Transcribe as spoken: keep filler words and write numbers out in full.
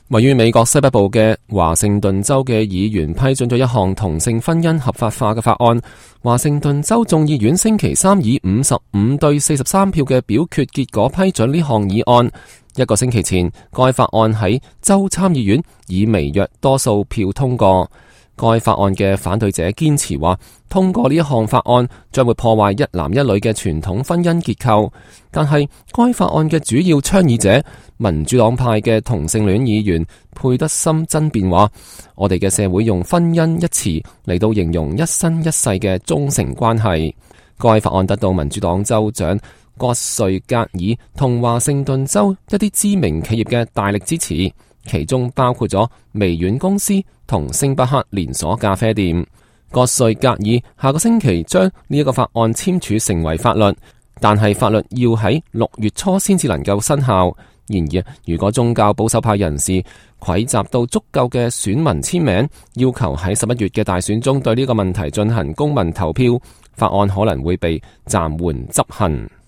位於美國西北部嘅華盛頓州嘅議員批准咗一項同性婚姻合法化嘅法案。華盛頓州眾議院星期三以五十五對四十三票嘅表決結果批准呢項議案。一個星期前，該法案喺州參議院以微弱多數票通過。該法案嘅反對者堅持話，通過呢一項法案將會破壞一男一女嘅傳統婚姻結構。但係該法案嘅主要倡議者民主黨派嘅同性戀議員佩德森爭辯話，我哋嘅社會用婚姻一詞嚟到形容一生一世嘅忠誠關係。該法案得到民主黨州長葛瑞格爾同華盛頓州一啲知名企業嘅大力支持，其中包括咗微軟公司同星巴克連鎖咖啡店。葛瑞格爾下個星期將呢一個法案簽署成為法律，但係法律要喺六月初先至能夠生效。然而，如果宗教保守派人士匯集到足夠嘅選民簽名，要求喺十一月嘅大選中對呢個問題進行公民投票，法案可能會被暫緩執行。